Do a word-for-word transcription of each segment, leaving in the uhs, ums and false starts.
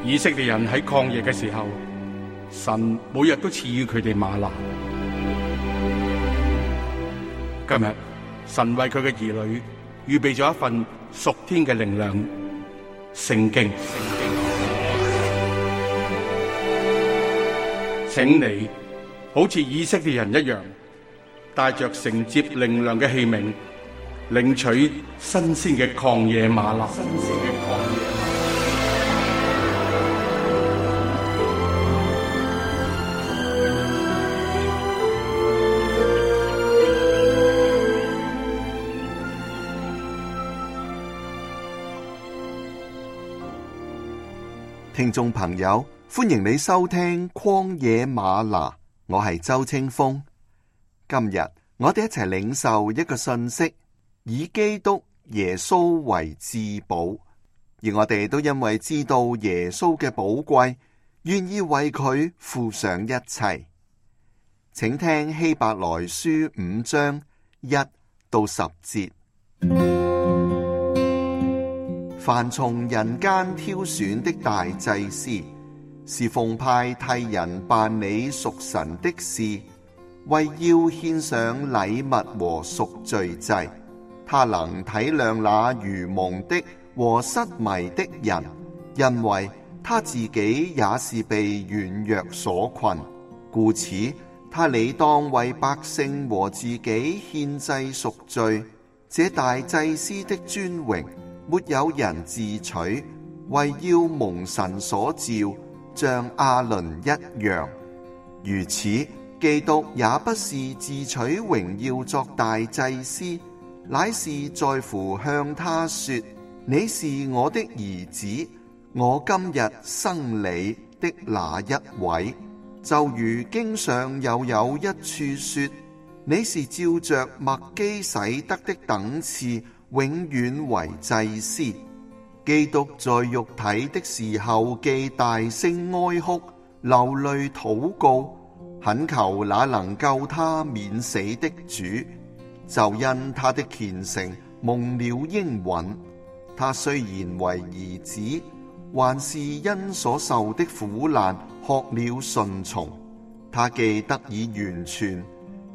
以色列人喺曠野嘅時候，神每日都賜予佢哋嗎哪。今日神為佢嘅兒女預備咗一份屬天嘅靈糧——聖經。請你好似以色列人一樣，帶着承接靈糧嘅器皿，領取新鮮嘅曠野嗎哪。新鮮嘅曠野嗎哪。聽眾朋友，歡迎你收聽曠野嗎哪，我係周清風。今日我哋一齊領受一個信息，以基督耶穌為至寶，而我哋都因為知道耶穌嘅寶貴，願意為佢付上一切。請聽希伯來書五章一到十節。凡從人間挑選的大祭司，是奉派替人辦理屬神的事，為要獻上禮物和贖罪祭。他能體諒那愚蒙的和失迷的人，因為他自己也是被軟弱所困，故此他理當為百姓和自己獻祭贖罪。這大祭司的尊榮沒有人自取，為要蒙神所召，像亞倫一樣。如此，基督也不是自取榮耀作大祭司，乃是在乎向他說：你是我的兒子，我今日生你的那一位。就如經上又有一處說：你是照着麥基洗德的等次，永遠為祭司。基督在肉體的時候，既大聲哀哭，流淚禱告，懇求那能救他免死的主，就因他的虔誠蒙了應允。他雖然為兒子，還是因所受的苦難學了順從。他既得以完全，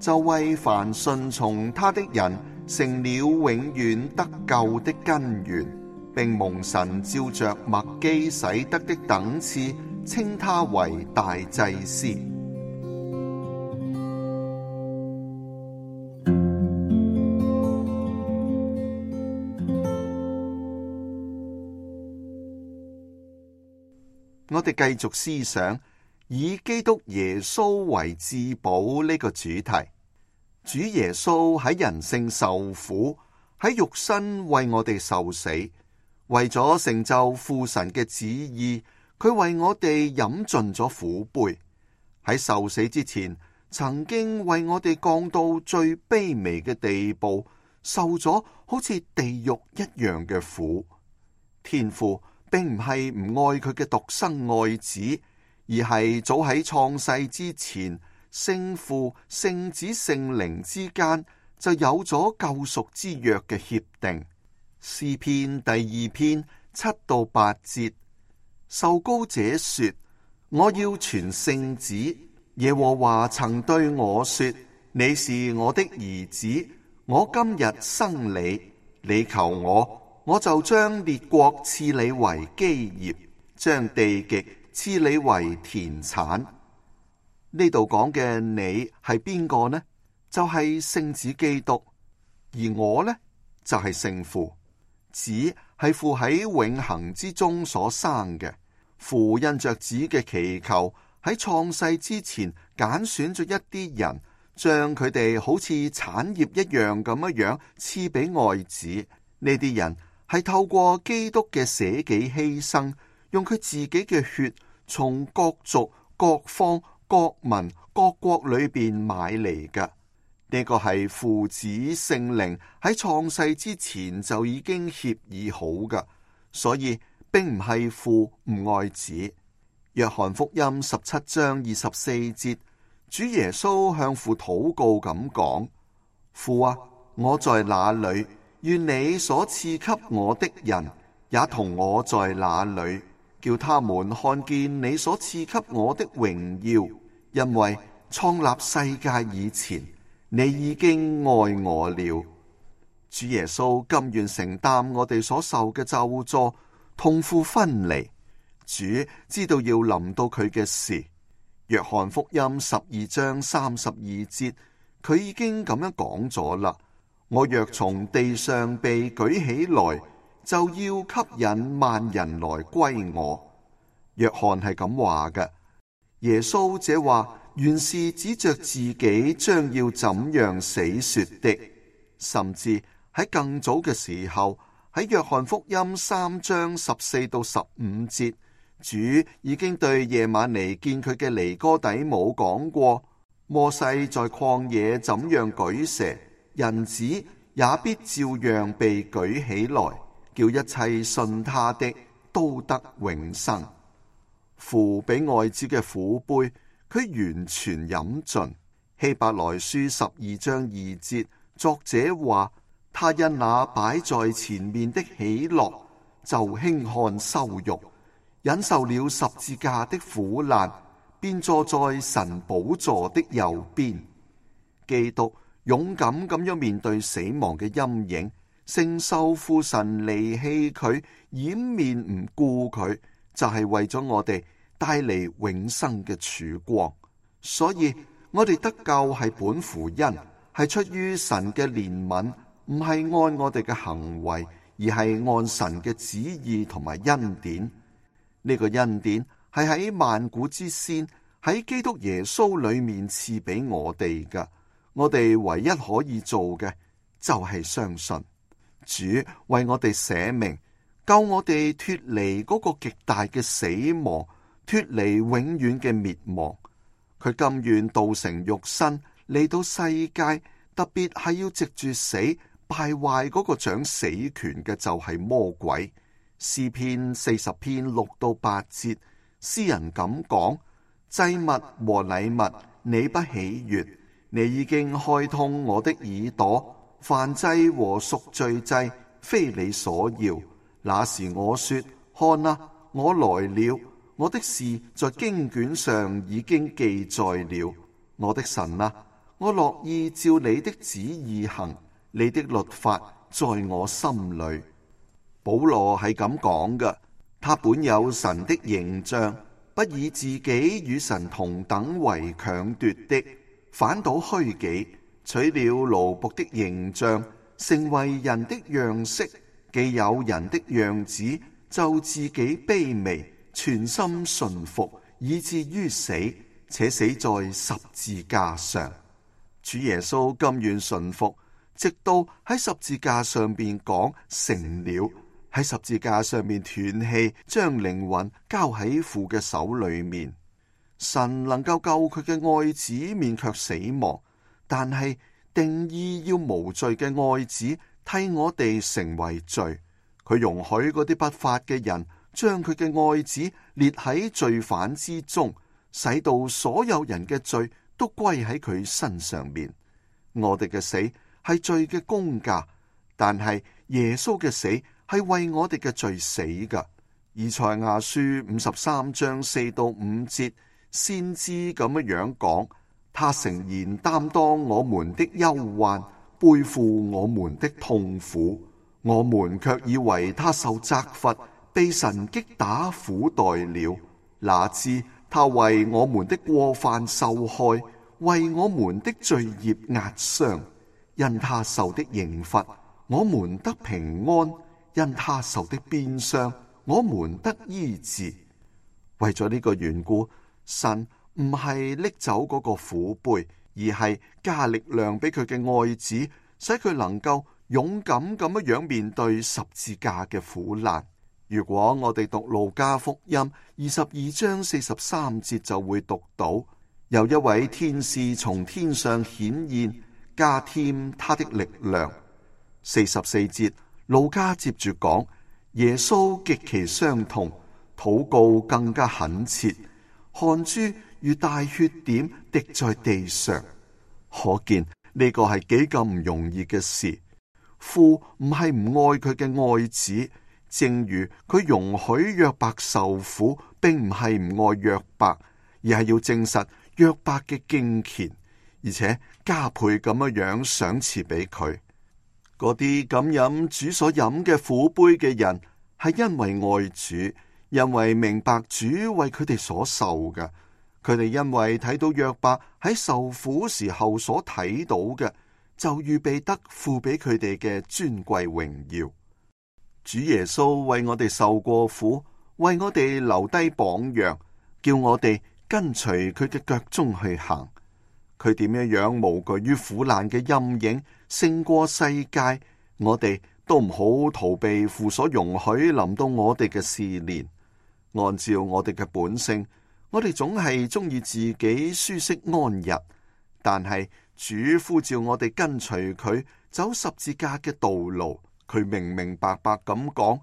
就為凡順從他的人成了永遠得救的根源，並蒙神照着麥基洗德的等次，稱他為大祭司。我哋繼續思想以基督耶穌為至寶呢個主題。主耶穌喺人性受苦，喺肉身為我哋受死，為咗成就父神嘅旨意，佢為我哋飲盡咗苦杯。喺受死之前，曾經為我哋降到最卑微嘅地步，受咗好似地獄一樣嘅苦。天父並唔係唔愛佢嘅獨生愛子，而係早喺創世之前，聖父、聖子、聖靈之間就有咗救贖之約嘅協定。詩篇第二篇七到八節，受膏者說：我要傳聖旨。耶和華曾對我說：你是我的兒子，我今日生你。你求我，我就將列國賜你為基業，將地極賜你為田產。呢度講嘅你係邊個呢？就係聖子基督，而我呢就係聖父。子係父喺永恆之中所生嘅，父因着子嘅祈求，喺創世之前揀選咗一啲人，將佢哋好似產業一樣咁樣樣賜俾愛子。呢啲人係透過基督嘅捨己犧牲，用佢自己嘅血從各族、各方、各民、各國裏邊買嚟㗎。呢個係父子聖靈喺創世之前就已經協議好㗎，所以並唔係父唔愛子。約翰福音十七章二十四節，主耶穌向父禱告咁講：父啊，我在哪裏，願你所賜給我的人也同我在那裏，叫他們看見你所賜給我的榮耀，因為創立世界以前，你已經愛我了。主耶穌甘願承擔我哋所受嘅咒詛，痛苦分離。主知道要臨到佢嘅事。約翰福音十二章三十二節，佢已經咁樣講咗啦。我若從地上被舉起來，就要吸引萬人來歸我。約翰係咁話嘅。耶穌這話原是指着自己將要怎樣死說的，甚至喺更早嘅時候，喺約翰福音三章十四到十五節，主已經對夜晚嚟見佢嘅尼哥底母講過，摩西在曠野怎樣舉蛇，人子也必照樣被舉起來，叫一切信他的都得永生。父俾愛子嘅苦杯，佢完全飲盡。希伯來書十二章二節，作者話，他因那擺在前面的喜樂，就輕看羞辱，忍受了十字架的苦難，便坐在神寶座的右邊。基督勇敢咁樣面對死亡嘅陰影，承受父神離棄佢，掩面唔顧佢，就係為咗我哋帶嚟永生嘅曙光。所以我哋得救係本乎恩，係出於神嘅憐憫，唔係按我哋嘅行為，而係按神嘅旨意同埋恩典。呢個恩典係喺萬古之先，喺基督耶穌裏面賜俾我哋㗎。我哋唯一可以做嘅就係相信主為我哋捨命，救我哋脫離嗰個極大嘅死亡，脫離永遠嘅滅亡。佢甘願道成肉身嚟到世界，特別係要藉住死敗壞嗰個掌死權嘅就係魔鬼。詩篇四十篇六到八節，詩人咁講：祭物和禮物你不喜悅，你已經開通我的耳朵，燔祭和贖罪祭非你所要。那時我說：看啊，我來了，我的事在經卷上已經記載了。我的神啊，我樂意照你的旨意行，你的律法在我心裏。保羅係咁講嘅，他本有神的形象，不以自己與神同等為強奪的，反倒虛己，取了奴僕的形象，成為人的樣式。既有人的樣子，就自己卑微，全心順服，以至於死，且死在十字架上。主耶穌甘願順服，直到喺十字架上邊講成了，喺十字架上面斷氣，將靈魂交喺父嘅手裏面。神能夠救佢嘅愛子免卻死亡，但係定義要無罪嘅愛子替我哋成為罪。佢容許嗰啲不法嘅人將佢嘅愛子列喺罪犯之中，使到所有人嘅罪都歸喺佢身上面。我哋嘅死係罪嘅工價，但係耶穌嘅死係為我哋嘅罪死噶。以賽亞書五十三章四到五節，先知咁樣樣講：他誠然擔當我們的憂患，背負我們的痛苦，我們卻以為他受責罰，被神擊打苦待了。哪知他為我們的過犯受害，為我們的罪孽壓傷。因他受的刑罰，我們得平安；因他受的鞭傷，我們得醫治。為咗呢個緣故，神唔係拎走嗰個苦杯，而係加力量俾佢嘅愛子，使佢能夠勇敢咁樣面對十字架嘅苦難。如果我哋讀路加福音二十二章四十三節，就會讀到有一位天使從天上顯現，加添他的力量。四十四節，路加接住講，耶穌極其傷痛，禱告更加懇切，汗珠如大血點滴在地上。可見呢個係幾咁唔容易嘅事。父唔係唔愛佢嘅愛子，正如佢容許約伯受苦，並唔係唔愛約伯，而係要證實約伯嘅敬虔，而且加倍咁樣樣賞賜俾佢。嗰啲敢飲主所飲嘅苦杯嘅人，係因為愛主，因為明白主為佢哋所受嘅。佢哋因為睇到約伯喺受苦時候所睇到嘅，就預備得付俾佢哋嘅尊貴榮耀。主耶穌為我哋受過苦，為我哋留低榜樣，叫我哋跟隨佢嘅腳蹤去行。佢點樣樣無懼於苦難嘅陰影，勝過世界，我哋都唔好逃避父所容許臨到我哋嘅試煉。按照我哋嘅本性，我哋總係中意自己舒適安逸，但係主呼召我哋跟隨佢走十字架嘅道路。佢明明白白咁講，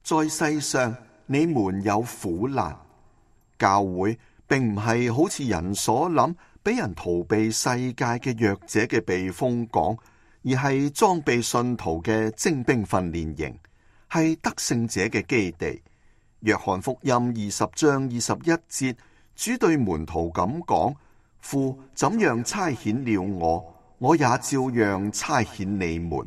在世上你們有苦難。教會並唔係好似人所諗，俾人逃避世界嘅弱者嘅避風港，而係裝備信徒嘅精兵訓練營，係得勝者嘅基地。約翰福音二十章二十一節，主對門徒咁講：父怎樣差遣了我，我也照樣差遣你們。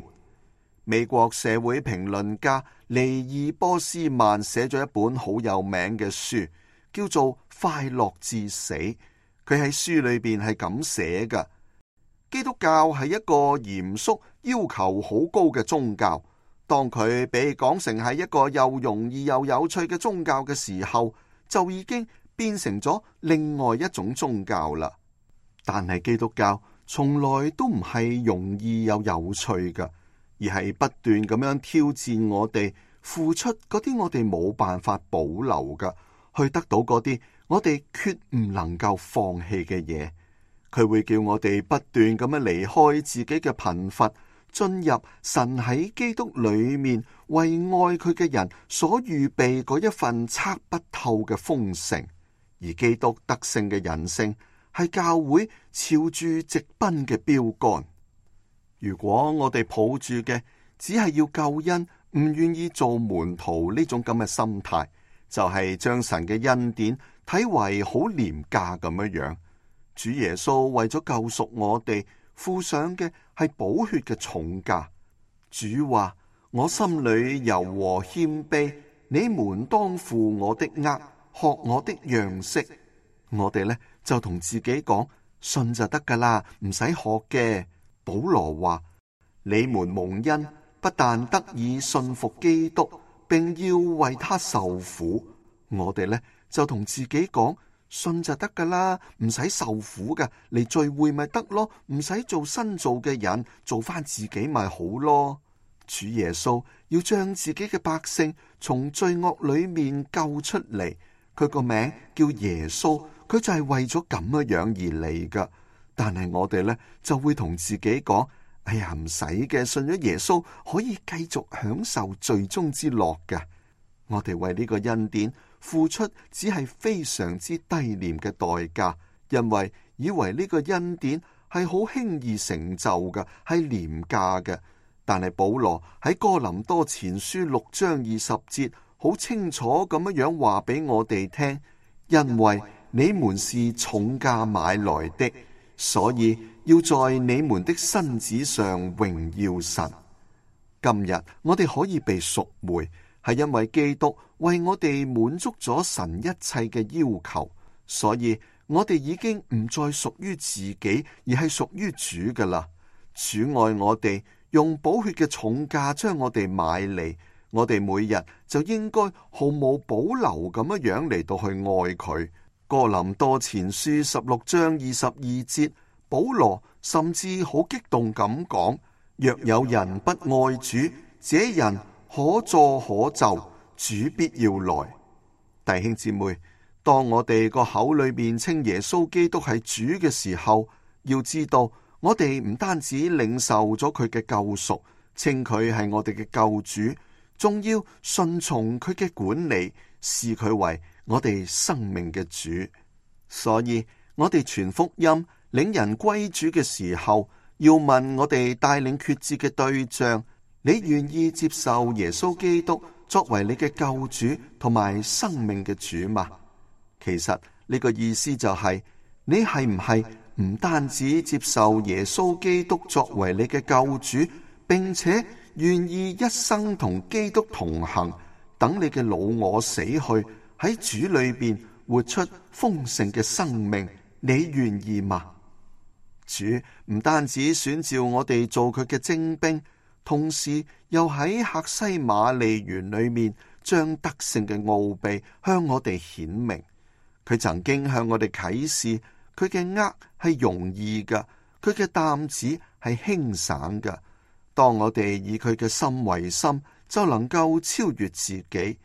美國社會評論家尼爾波斯曼寫咗一本好有名嘅書，叫做《快樂至死》。佢喺書裏邊係咁寫嘅：基督教係一個嚴肅、要求好高嘅宗教。當佢被講成係一個又容易又有趣嘅宗教嘅時候，就已經變成咗另外一種宗教啦。但係基督教從來都唔係容易又有趣嘅，而係不斷咁樣挑戰我哋，付出嗰啲我哋冇辦法保留嘅，去得到嗰啲我哋決唔能夠放棄嘅嘢。佢會叫我哋不斷咁樣離開自己嘅貧乏，進入神喺基督裏面為愛佢嘅人所預備嗰一份測不透嘅豐盛。而基督得勝嘅人性係教會朝住直奔嘅標杆。如果我哋抱住嘅只係要救恩，唔願意做門徒呢種咁嘅心態，就係、是、將神嘅恩典睇為好廉價咁樣樣。主耶穌為咗救贖我哋，付上嘅係寶血嘅重價。主話：我心裏柔和謙卑，你們當負我的軛，學我的樣式。我哋呢就同自己講，信就得噶啦，唔使學嘅。保羅話：你們蒙恩，不但得以信服基督，並要為他受苦。我哋呢就同自己講，信就得噶啦，唔使受苦噶，嚟聚會咪得咯，唔使做新造嘅人，做翻自己咪好咯。主耶穌要將自己嘅百姓從罪惡裏面救出嚟，佢個名叫耶穌，佢就係為咗咁樣樣而嚟噶。但係我哋呢就會同自己講：哎呀，唔使嘅，信咗耶穌可以繼續享受罪中之樂嘅。我哋為呢個恩典付出只係非常之低廉嘅代價，因為以為呢個恩典係好輕易成就嘅，係廉價嘅。但係保羅喺哥林多前書六章二十節好清楚咁樣樣話俾我哋聽：因為你們是重價買來的，所以要在你們的身子上榮耀神。今日我哋可以被贖回，係因為基督為我哋滿足咗神一切嘅要求，所以我哋已經唔再屬於自己，而係屬於主噶啦。主愛我哋，用寶血嘅重價將我哋買嚟，我哋每日就應該毫無保留咁樣樣嚟到去愛佢。哥林多前書十六章二十二節，保羅甚至好激動咁講：若有人不愛主，這人可詛可咒，主必要來。弟兄姊妹，當我哋個口裏面稱耶穌基督係主嘅時候，要知道我哋唔單止領受咗佢嘅救贖，稱佢係我哋嘅救主，仲要順從佢嘅管理，視佢為我哋生命嘅主。所以我哋傳福音領人歸主嘅時候，要問我哋帶領決志嘅對象：你願意接受耶穌基督作為你嘅救主同埋生命嘅主嗎？其實呢個意思就係，你係唔係唔單止接受耶穌基督作為你嘅救主，並且願意一生同基督同行，等你嘅老我死去，喺主裏邊活出豐盛嘅生命，你願意嗎？主唔單止選召我哋做佢嘅精兵，同時又喺客西馬尼園裏面將得勝嘅奧秘向我哋顯明。佢曾經向我哋啟示，佢嘅軛係容易嘅，佢嘅擔子係輕省嘅。當我哋以佢嘅心為心，就能夠超越自己。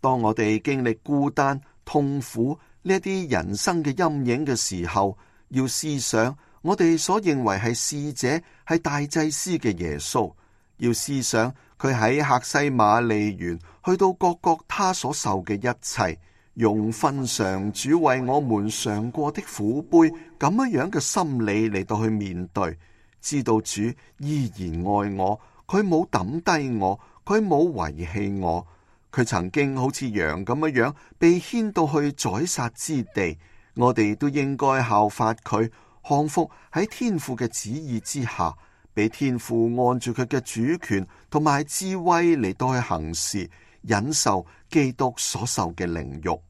當我哋經歷孤單、痛苦呢一啲人生嘅陰影嘅時候，要思想我哋所認為係使者、係大祭司嘅耶穌，要思想佢喺客西馬尼園去到各各他所受嘅一切，用分嘗主為我們嘗過的苦杯咁樣樣嘅心理嚟到去面對，知道主依然愛我，佢冇抌低我，佢冇遺棄我，佢曾經好似羊咁樣樣被牽到去宰殺之地，我哋都應該效法佢，降服喺天父嘅旨意之下，俾天父按住佢嘅主權同埋智慧嚟到去行事，忍受基督所受嘅凌辱。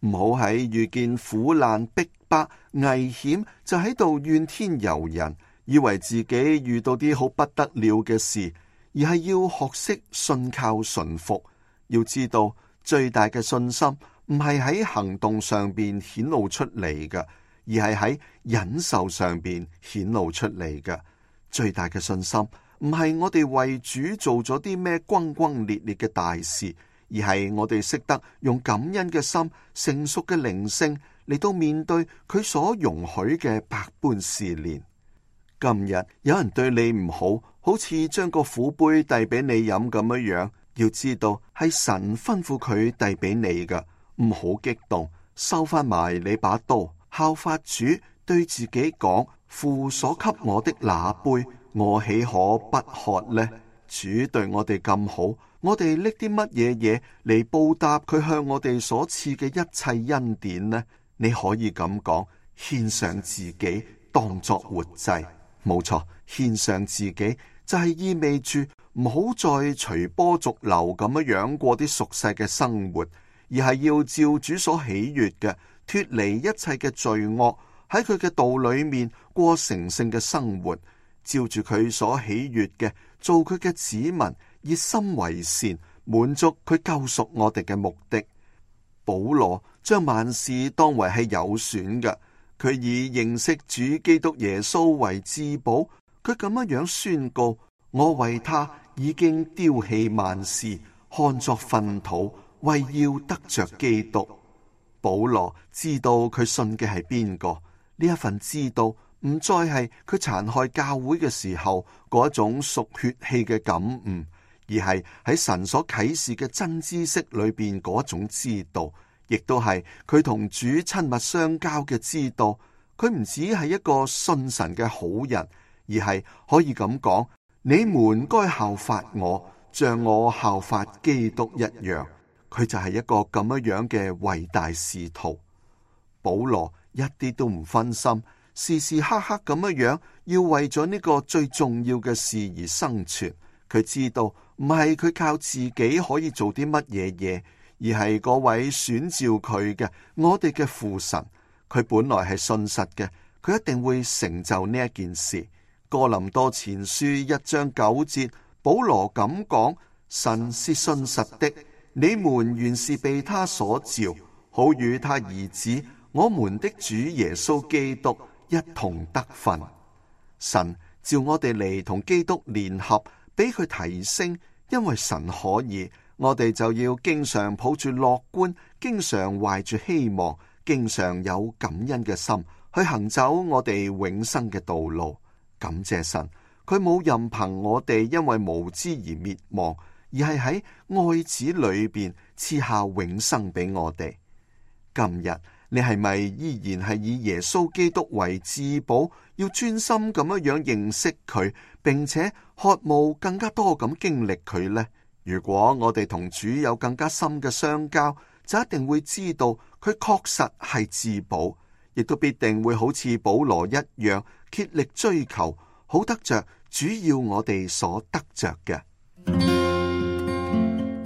唔好喺遇見苦難逼迫危險就喺度怨天尤人，以為自己遇到啲好不得了嘅事，而係要學識信靠順服。要知道最大嘅信心唔係喺行動上邊顯露出嚟嘅，而係喺忍受上邊顯露出嚟嘅。最大嘅信心唔係我哋為主做咗啲咩轟轟烈烈嘅大事，而係我哋識得用感恩嘅心、成熟嘅靈性嚟到面對佢所容許嘅百般試煉。今日有人對你唔好，好似將個苦杯遞俾你飲咁樣樣，要知道係神吩咐佢遞俾你㗎，唔好激動，收翻埋你把刀，效法主對自己講：父所給我的那杯，我豈可不喝呢？主對我哋咁好，我哋拎啲乜嘢嘢嚟報答佢向我哋所賜嘅一切恩典呢？你可以咁講，獻上自己當作活祭。冇錯，獻上自己就係意味住唔好再隨波逐流咁樣樣過啲俗世嘅生活，而係要照主所喜悅嘅，脫離一切嘅罪惡，喺佢嘅道裏面過成聖嘅生活，照住佢所喜悅嘅做佢嘅子民，熱心為善，滿足佢救贖我哋嘅目的。保羅將萬事當為係有損嘅，佢以認識主基督耶穌為至寶，佢咁樣樣宣告：我為他已經丟棄萬事，看作糞土，為要得着基督。保羅知道佢信嘅係邊個，呢一份知道唔再係佢殘害教會嘅時候嗰種屬血氣嘅感悟，而係喺神所啟示嘅真知識裏邊嗰種知道，亦都係佢同主親密相交嘅知道。佢唔只係一個信神嘅好人，而係可以咁講：你們該效法我，像我效法基督一樣。佢就係一個咁樣樣嘅偉大使徒。保羅一啲都唔分心，時時刻刻咁樣樣要為咗呢個最重要嘅事而生存。佢知道唔係佢靠自己可以做啲乜嘢嘢，而係嗰位選召佢嘅我哋嘅父神。佢本來係信實嘅，佢一定會成就呢一件事。哥林多前書一章九節，保羅咁講：神是信實的，你們原是被他所召，好與他兒子我們的主耶穌基督一同得分。神召我哋嚟同基督聯合，俾佢提升，因為神可以，我哋就要經常抱住樂觀，經常懷住希望，經常有感恩嘅心去行走我哋永生嘅道路。感謝神，佢冇任憑我哋因為無知而滅亡，而係喺愛子裏邊賜下永生俾我哋。今日你係咪依然係以耶穌基督為至寶，要專心咁樣樣認識佢，並且渴慕更加多咁經歷佢呢？如果我哋同主有更加深嘅相交，就一定會知道佢確實係至寶，亦都必定會好似保羅一樣竭力追求，好得着主要我哋所得着嘅。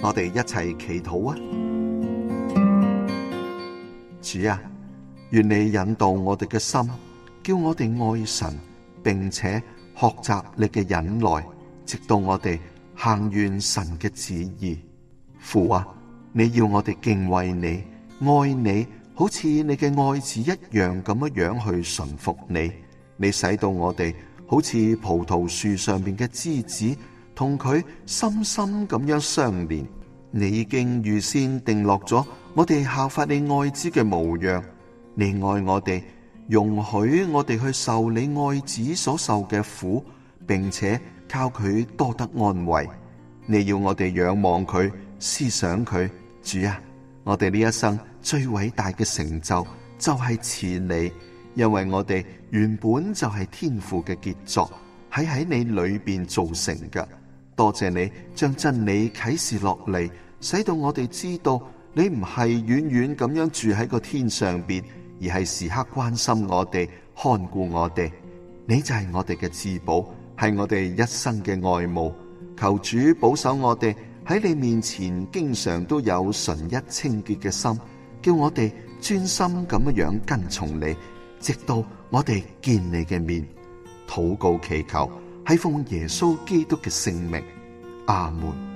我哋一齊祈禱啊！主啊，願你引導我哋嘅心，叫我哋愛神，並且學習你嘅忍耐，直到我哋行完神嘅旨意。父啊，你要我哋敬畏你、愛你，好似你嘅愛子一樣咁樣去順服你。你使到我哋好似葡萄樹上面嘅枝子，同佢深深咁樣相連。你已經預先定落咗我哋效法你愛子嘅模樣。你愛我哋，容許我哋去受你愛子所受嘅苦，並且靠佢多得安慰。你要我哋仰望佢，思想佢。主啊，我哋呢一生最偉大嘅成就就係似你，因為我哋原本就係天父嘅傑作，係喺你裏邊造成嘅。多謝你將真理啟示落嚟，使到我哋知道你唔係遠遠咁樣住喺個天上邊，而係時刻關心我哋，看顧我哋。你就係我哋嘅至寶，係我哋一生嘅愛慕。求主保守我哋喺你面前經常都有純一清潔嘅心，叫我哋專心咁樣跟從你，直到我哋見你嘅面。禱告祈求係奉耶穌基督嘅聖名，阿門。